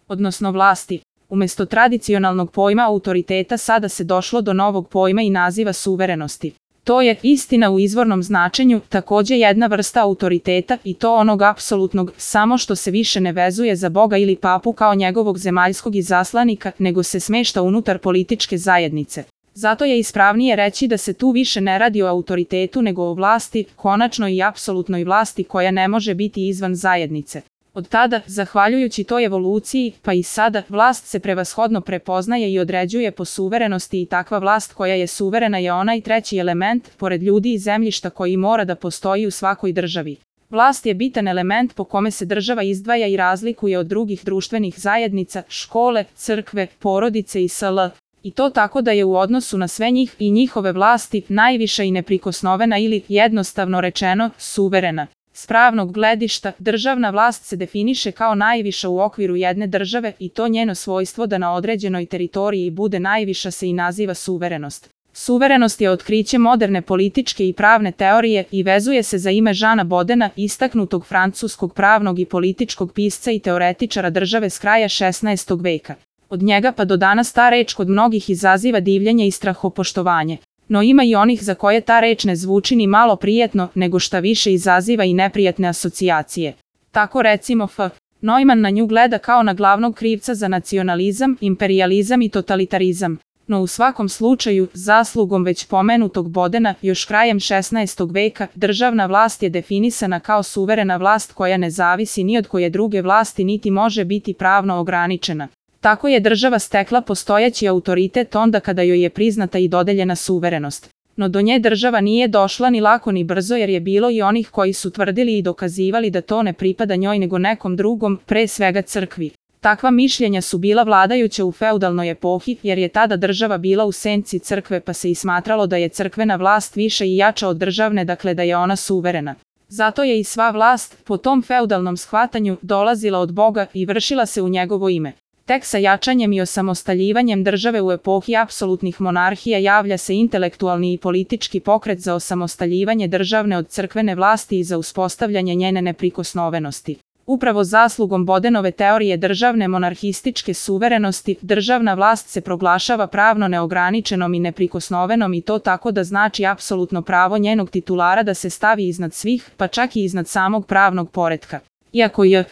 odnosno vlasti. Umesto tradicionalnog pojma autoriteta sada se došlo do novog pojma i naziva suverenosti. To je, istina u izvornom značenju, takođe jedna vrsta autoriteta i to onog apsolutnog, samo što se više ne vezuje za Boga ili papu kao njegovog zemaljskog izaslanika, nego se smešta unutar političke zajednice. Zato je ispravnije reći da se tu više ne radi o autoritetu nego o vlasti, konačnoj i apsolutnoj vlasti koja ne može biti izvan zajednice. Od tada, zahvaljujući toj evoluciji, pa i sada, vlast se prevashodno prepoznaje i određuje po suverenosti i takva vlast koja je suverena je onaj treći element, pored ljudi i zemljišta koji mora da postoji u svakoj državi. Vlast je bitan element po kome se država izdvaja i razlikuje od drugih društvenih zajednica, škole, crkve, porodice i sl. I to tako da je u odnosu na sve njih i njihove vlasti najviša i neprikosnovena ili, jednostavno rečeno, suverena. S pravnog gledišta, državna vlast se definiše kao najviša u okviru jedne države i to njeno svojstvo da na određenoj teritoriji bude najviša se i naziva suverenost. Suverenost je otkriće moderne političke i pravne teorije i vezuje se za ime Žana Bodena, istaknutog francuskog pravnog i političkog pisca i teoretičara države s kraja 16. veka. Od njega pa do danas ta reč kod mnogih izaziva divljenje i strahopoštovanje. No ima i onih za koje ta reč ne zvuči ni malo prijetno, nego šta više izaziva i neprijatne asocijacije. Tako recimo F. Neumann na nju gleda kao na glavnog krivca za nacionalizam, imperijalizam i totalitarizam. No u svakom slučaju, zaslugom već pomenutog Bodena, još krajem 16. veka, državna vlast je definisana kao suverena vlast koja ne zavisi ni od koje druge vlasti niti može biti pravno ograničena. Tako je država stekla postojeći autoritet onda kada joj je priznata i dodeljena suverenost. No do nje država nije došla ni lako ni brzo jer je bilo i onih koji su tvrdili i dokazivali da to ne pripada njoj nego nekom drugom, pre svega crkvi. Takva mišljenja su bila vladajuća u feudalnoj epohi jer je tada država bila u senci crkve pa se i smatralo da je crkvena vlast više i jača od državne, dakle da je ona suverena. Zato je i sva vlast, po tom feudalnom shvatanju, dolazila od Boga i vršila se u njegovo ime. Tek sa jačanjem i osamostaljivanjem države u epohi apsolutnih monarhija javlja se intelektualni i politički pokret za osamostaljivanje državne od crkvene vlasti i za uspostavljanje njene neprikosnovenosti. Upravo zaslugom Bodenove teorije državne monarhističke suverenosti, državna vlast se proglašava pravno neograničenom i neprikosnovenom i to tako da znači apsolutno pravo njenog titulara da se stavi iznad svih, pa čak i iznad samog pravnog poretka. Iako je